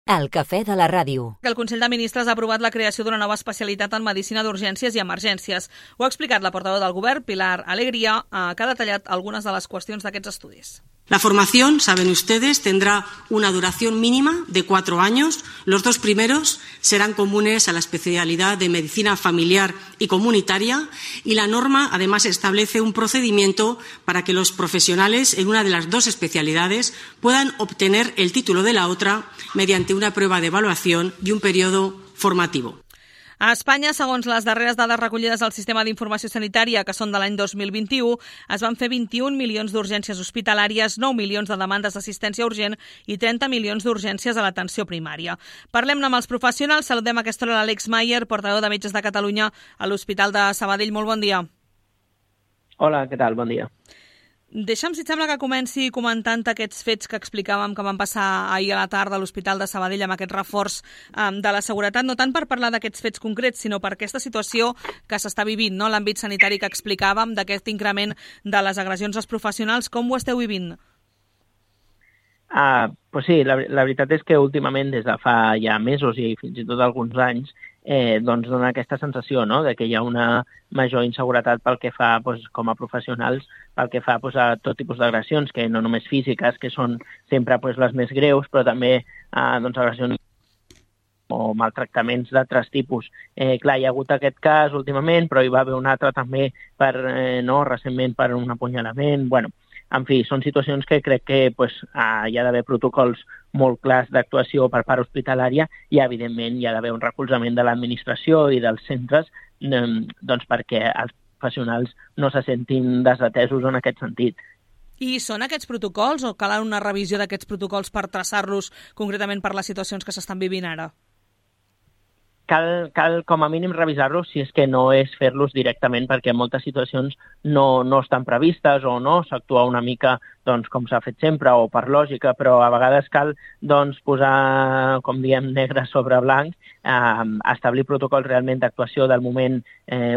El cafè de la ràdio. El Consell de Ministres ha aprovat la creació d'una nova especialitat en medicina d'urgències i emergències. Ho ha explicat la portaveu del Govern, Pilar Alegría, que ha detallat algunes de les qüestions d'aquests estudis. La formación, saben ustedes, tendrá una duración mínima de 4 años. Los 2 primeros serán comunes a la especialidad de medicina familiar y comunitaria y la norma además establece un procedimiento para que los profesionales en una de las 2 especialidades puedan obtener el título de la otra mediante una prueba de evaluación y un periodo formativo. A Espanya, segons les darreres dades recollides al Sistema d'Informació Sanitària, que són de l'any 2021, es van fer 21 milions d'urgències hospitalàries, 9 milions de demandes d'assistència urgent i 30 milions d'urgències a l'atenció primària. Parlem-ne amb els professionals. Saludem a aquesta hora l'Àlex Mayer, portaveu de Metges de Catalunya a l'Hospital de Sabadell. Molt bon dia. Hola, què tal? Bon dia. Deixa'm, si et sembla, que comenci comentant aquests fets que explicàvem que van passar ahir a la tarda a l'Hospital de Sabadell amb aquest reforç de la seguretat, no tant per parlar d'aquests fets concrets, sinó per aquesta situació que s'està vivint, no? L'àmbit sanitari que explicàvem, d'aquest increment de les agressions als professionals. Com ho esteu vivint? Pues sí, la veritat és que últimament, des de fa ja mesos i fins i tot alguns anys, doncs dona aquesta sensació, no?, de que hi ha una major inseguretat pel que fa, com a professionals, pel que fa a tot tipus d'agressions, que no només físiques, que són sempre les més greus, però també agressions o maltractaments d'altres tipus. Clar, hi ha hagut aquest cas últimament, però hi va haver un altre també recentment per un apunyalament. Bueno, en fi, són situacions que crec que hi ha d'haver protocols molt clars d'actuació per part hospitalària i, evidentment, hi ha d'haver un recolzament de l'administració i dels centres perquè els professionals no se sentin desatesos en aquest sentit. I són aquests protocols o cal una revisió d'aquests protocols per traçar-los concretament per les situacions que s'estan vivint ara? Cal com a mínim revisar-los si és que no és fer-los directament, perquè en moltes situacions no estan previstes o no s'actua una mica com s'ha fet sempre o per lògica, però a vegades cal posar, com diem, negre sobre blanc, establir protocols realment d'actuació del moment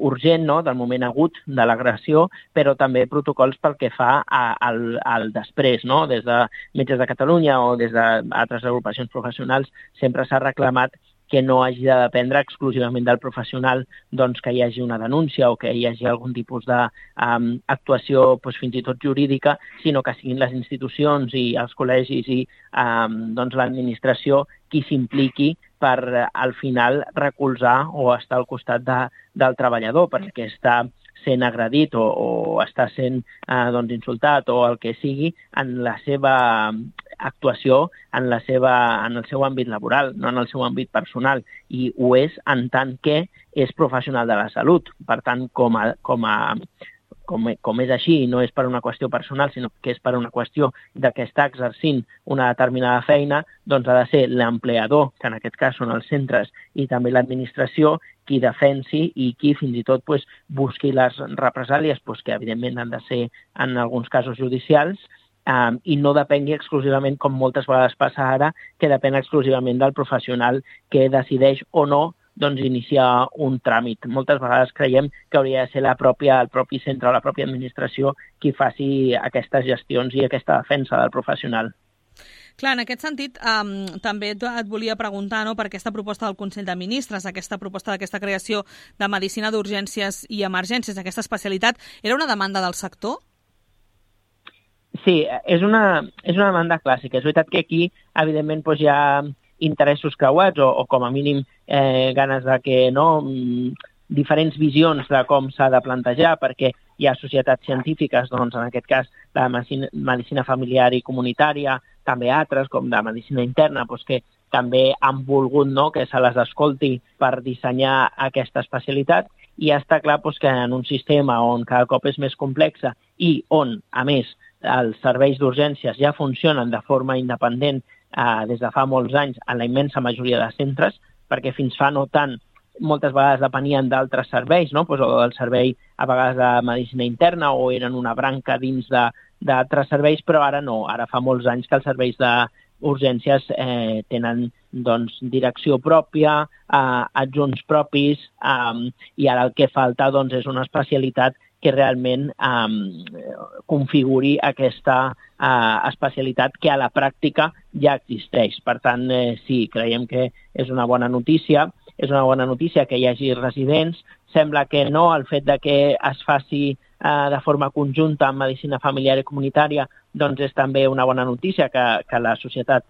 urgent, del moment agut de l'agressió, però també protocols pel que fa al després. Des de Metges de Catalunya o des d'altres agrupacions professionals sempre s'ha reclamat que no hagi de dependre exclusivament del professional que hi hagi una denúncia o que hi hagi algun tipus d'actuació fins i tot jurídica, sinó que siguin les institucions i els col·legis i l'administració qui s'impliqui per, al final, recolzar o estar al costat del treballador, perquè està sent agredit o està sent insultat o el que sigui en la seva actuació, en el seu àmbit laboral, no en el seu àmbit personal, i ho és en tant que és professional de la salut. Per tant, com és així, no és per una qüestió personal, sinó que és per una qüestió de que està exercint una determinada feina, doncs ha de ser l'empleador, que en aquest cas són els centres, i també l'administració, qui defensi i qui fins i tot busqui les represàlies, que evidentment han de ser en alguns casos judicials, i no depengui exclusivament, com moltes vegades passa ara, que depèn exclusivament del professional que decideix o no iniciar un tràmit. Moltes vegades creiem que hauria de ser el propi centre o la pròpia administració qui faci aquestes gestions i aquesta defensa del professional. Clar, en aquest sentit, també et volia preguntar per aquesta proposta del Consell de Ministres, aquesta proposta d'aquesta creació de medicina d'urgències i emergències, aquesta especialitat, era una demanda del sector? Sí, és una demanda clàssica. És veritat que aquí, evidentment, hi ha interessos creuats o com a mínim ganes de que diferents visions de com s'ha de plantejar, perquè hi ha societats científiques, en aquest cas de medicina familiar i comunitària, també altres, com de medicina interna, que també han volgut que se les escolti per dissenyar aquesta especialitat, i està clar que en un sistema on cada cop és més complexa i on, a més, els serveis d'urgències ja funcionen de forma independent des de fa molts anys en la immensa majoria de centres, perquè fins fa no tant moltes vegades depenien d'altres serveis, o del servei a vegades de medicina interna o eren una branca dins d'altres serveis, però ara no. Ara fa molts anys que els serveis d'urgències tenen direcció pròpia, adjunts propis, i ara el que falta és una especialitat que realment configuri aquesta especialitat que a la pràctica ja existeix. Per tant, sí, creiem que és una bona notícia. És una bona notícia que hi hagi residents. Sembla que no, el fet de que es faci de forma conjunta amb medicina familiar i comunitària, doncs és també una bona notícia que la societat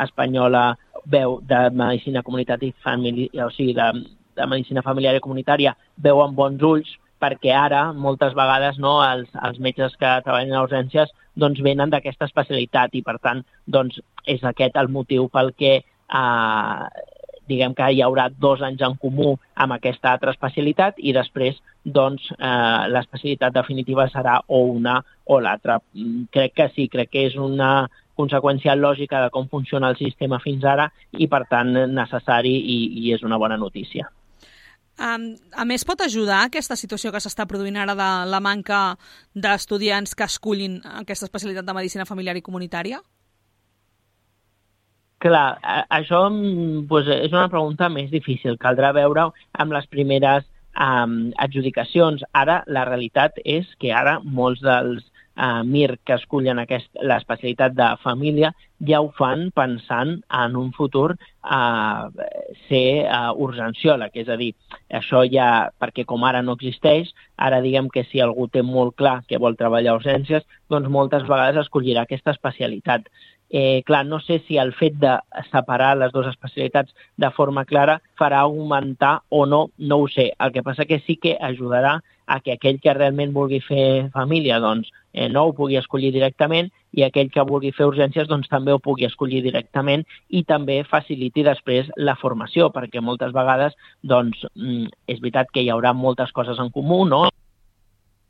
espanyola veu de medicina comunitària i familiar, o sigui, de medicina familiar i comunitària, veu amb bons ulls, perquè ara, moltes vegades, no, els metges que treballen a urgències doncs venen d'aquesta especialitat i, per tant, doncs, és aquest el motiu pel que diguem que hi haurà 2 anys en comú amb aquesta altra especialitat i després doncs, l'especialitat definitiva serà o una o l'altra. Crec que sí, crec que és una conseqüència lògica de com funciona el sistema fins ara i, per tant, necessari i és una bona notícia. A més, pot ajudar aquesta situació que s'està produint ara de la manca d'estudiants que escullin aquesta especialitat de medicina familiar i comunitària? Clar, això doncs, és una pregunta més difícil. Caldrà veure amb les primeres adjudicacions. Ara, la realitat és que ara molts dels MIR que escullen l'especialitat de família ja ho fan pensant en un futur ser urgenciòleg. És a dir, això ja, perquè com ara no existeix, ara diguem que si algú té molt clar que vol treballar a urgències, doncs moltes vegades escollirà aquesta especialitat. Clar, no sé si el fet de separar les dues especialitats de forma clara farà augmentar o no, no ho sé. El que passa que sí que ajudarà a que aquell que realment vulgui fer família doncs, no ho pugui escollir directament i aquell que vulgui fer urgències doncs, també ho pugui escollir directament i també faciliti després la formació, perquè moltes vegades doncs, és veritat que hi haurà moltes coses en comú, no?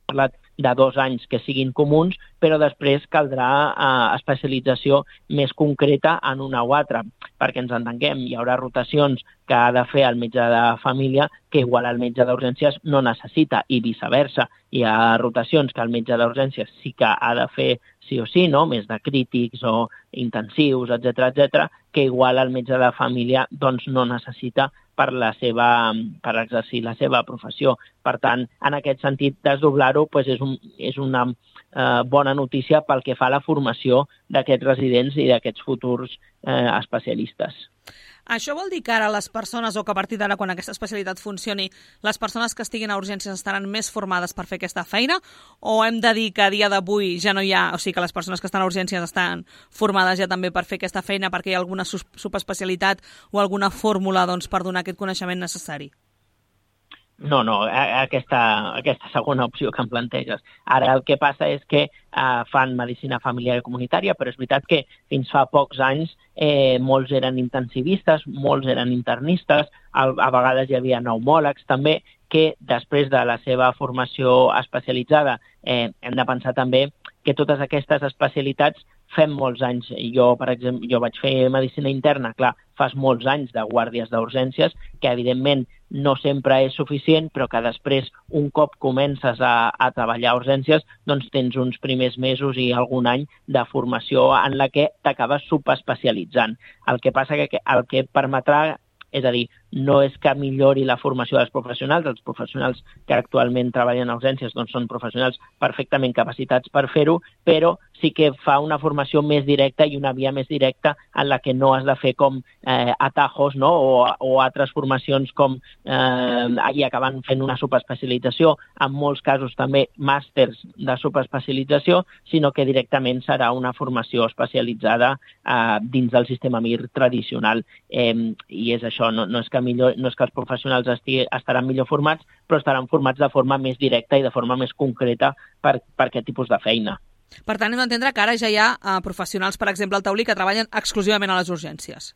Parlat de 2 anys que siguin comuns, però després caldrà especialització més concreta en una o altra, perquè ens entenguem, hi haurà rotacions que ha de fer el metge de família que igual el metge d'urgències no necessita i viceversa. Hi ha rotacions que el metge d'urgències sí que ha de fer sí o sí, no? Més de crítics o intensius, etc, que igual el metge de família doncs, no necessita per exercir la seva professió. Per tant, en aquest sentit, desdoblar-ho és una bona notícia pel que fa a la formació d'aquests residents i d'aquests futurs especialistes. Això vol dir que ara les persones, o que a partir d'ara, quan aquesta especialitat funcioni, les persones que estiguin a urgències estaran més formades per fer aquesta feina? O hem de dir que a dia d'avui ja no hi ha, o sigui que les persones que estan a urgències estan formades ja també per fer aquesta feina perquè hi ha alguna subespecialitat o alguna fórmula doncs, per donar aquest coneixement necessari? No, aquesta segona opció que em planteges. Ara el que passa és que fan medicina familiar i comunitària, però és veritat que fins fa pocs anys molts eren intensivistes, molts eren internistes, a vegades hi havia pneumòlegs també, que després de la seva formació especialitzada hem de pensar també que totes aquestes especialitats fem molts anys. Jo, per exemple, vaig fer medicina interna, clar, fas molts anys de guàrdies d'urgències, que evidentment no sempre és suficient, però que després, un cop comences a treballar a urgències, doncs tens uns primers mesos i algun any de formació en la que t'acabes subespecialitzant. El que passa que el que permetrà, és a dir, no és que millori la formació dels professionals, els professionals que actualment treballen a urgències doncs són professionals perfectament capacitats per fer-ho, però sí que fa una formació més directa i una via més directa en la que no has de fer com atajos, no? o altres formacions com i acaben fent una subespecialització, en molts casos també màsters de subespecialització, sinó que directament serà una formació especialitzada dins del sistema MIR tradicional. I és això, no és que els professionals estaran millor formats, però estaran formats de forma més directa i de forma més concreta per aquest tipus de feina. Per tant, hem d'entendre que ara ja hi ha professionals, per exemple, al taulí, que treballen exclusivament a les urgències.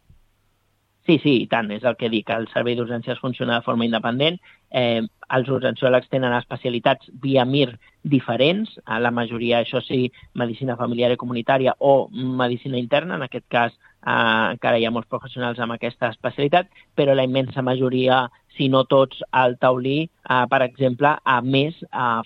Sí, i tant, és el que dic, el servei d'urgències funciona de forma independent, els urgenciòlegs tenen especialitats via MIR diferents, la majoria, això sí, medicina familiar i comunitària o medicina interna, en aquest cas encara hi ha molts professionals amb aquesta especialitat, però la immensa majoria, si no tots, al taulí, per exemple, a més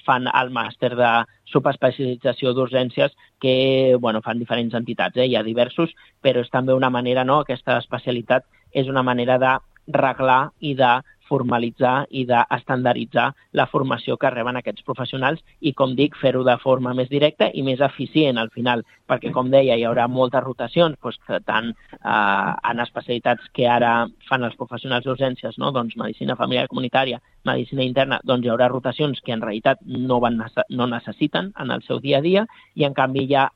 fan el màster de subespecialització d'urgències que fan diferents entitats, hi ha diversos, però és també una manera, aquesta especialitat és una manera de reglar i de formalitzar i d'estandarditzar la formació que reben aquests professionals i, com dic, fer-ho de forma més directa i més eficient al final, perquè, com deia, hi haurà moltes rotacions, doncs, tant en especialitats que ara fan els professionals d'urgències, no? Doncs medicina familiar comunitària, medicina interna, doncs hi haurà rotacions que en realitat no necessiten en el seu dia a dia i, en canvi, hi ha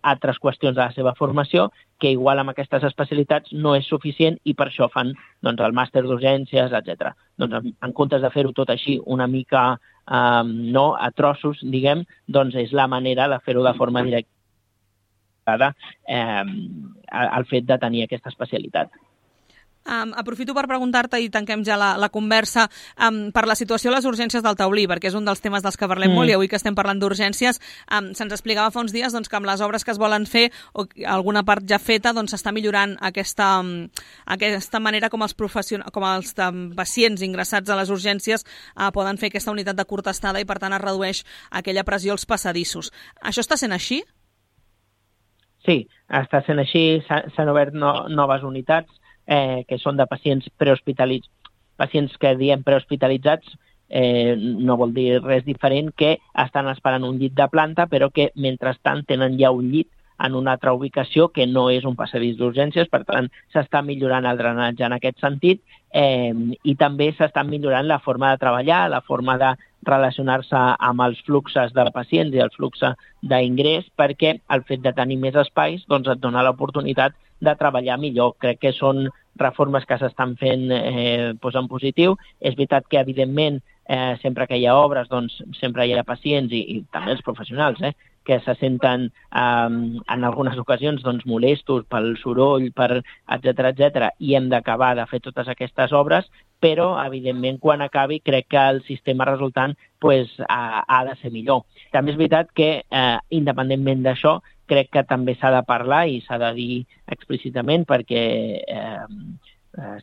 altres qüestions de la seva formació que igual amb aquestes especialitats no és suficient i per això fan doncs, el màster d'urgències, etc. Doncs en comptes de fer-ho tot així una mica a trossos, diguem, doncs és la manera de fer-ho de forma directa el fet de tenir aquesta especialitat. Aprofito per preguntar-te i tanquem ja la conversa per la situació a les urgències del Taulí, perquè és un dels temes dels que parlem molt i avui que estem parlant d'urgències se'ns explicava fa uns dies doncs, que amb les obres que es volen fer o alguna part ja feta doncs s'està millorant aquesta manera com els pacients ingressats a les urgències poden fer aquesta unitat de curta estada i per tant es redueix aquella pressió als passadissos. Això està sent així? Sí, està sent així, s'han obert noves unitats que són de pacients prehospitalitzats. Pacients que diem prehospitalitzats no vol dir res diferent que estan esperant un llit de planta, però que mentrestant tenen ja un llit en una altra ubicació que no és un passadís d'urgències, per tant s'està millorant el drenatge en aquest sentit i també s'està millorant la forma de treballar, la forma de relacionar-se amb els fluxos de pacients i el flux d'ingrés, perquè el fet de tenir més espais doncs, et dona l'oportunitat de treballar millor. Crec que són reformes que s'estan fent en positiu. És veritat que, evidentment, sempre que hi ha obres, doncs sempre hi ha pacients i també els professionals, que se senten en algunes ocasions doncs, molestos pel soroll, etc, i hem d'acabar de fer totes aquestes obres, però, evidentment, quan acabi, crec que el sistema resultant ha de ser millor. També és veritat que, independentment d'això, crec que també s'ha de parlar i s'ha de dir explícitament perquè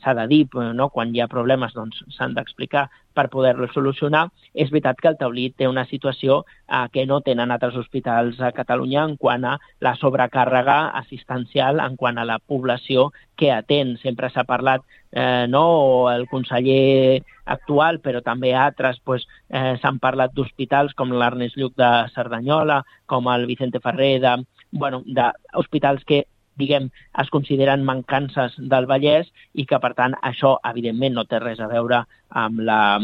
s'ha de dir, no? Quan hi ha problemes doncs s'han d'explicar per poder-los solucionar. És veritat que el Taulí té una situació que no tenen altres hospitals a Catalunya en quant a la sobrecàrrega assistencial, en quant a la població que atén. Sempre s'ha parlat, el conseller actual, però també altres, s'han parlat d'hospitals com l'Ernest Lluch de Cerdanyola, com el Vicente Ferrer, d'hospitals que es consideren mancances del Vallès i que, per tant, això, evidentment, no té res a veure amb la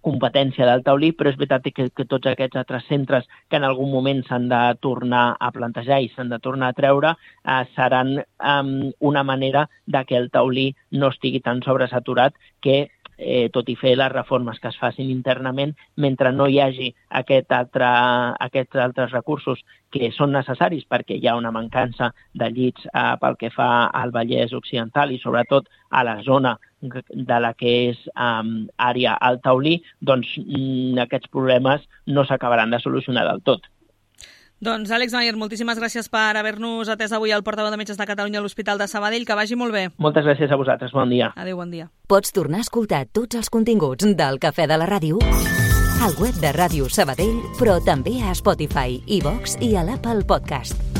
competència del Taulí, però és veritat que tots aquests altres centres que en algun moment s'han de tornar a plantejar i s'han de tornar a treure seran una manera de que el Taulí no estigui tan sobresaturat que tot i fer les reformes que es facin internament, mentre no hi hagi aquests altres recursos que són necessaris perquè hi ha una mancança de llits pel que fa al Vallès Occidental i sobretot a la zona de la que és àrea al Taulí, doncs aquests problemes no s'acabaran de solucionar del tot. Doncs, Àlex Mayer, moltíssimes gràcies per haver-nos atès avui al portaveu de Metges de Catalunya a l'Hospital de Sabadell. Que vagi molt bé. Moltes gràcies a vosaltres. Bon dia. Adéu, bon dia. Pots tornar a escoltar tots els continguts del Cafè de la Ràdio al web de Ràdio Sabadell, però també a Spotify, iVox i a l'Apple Podcast.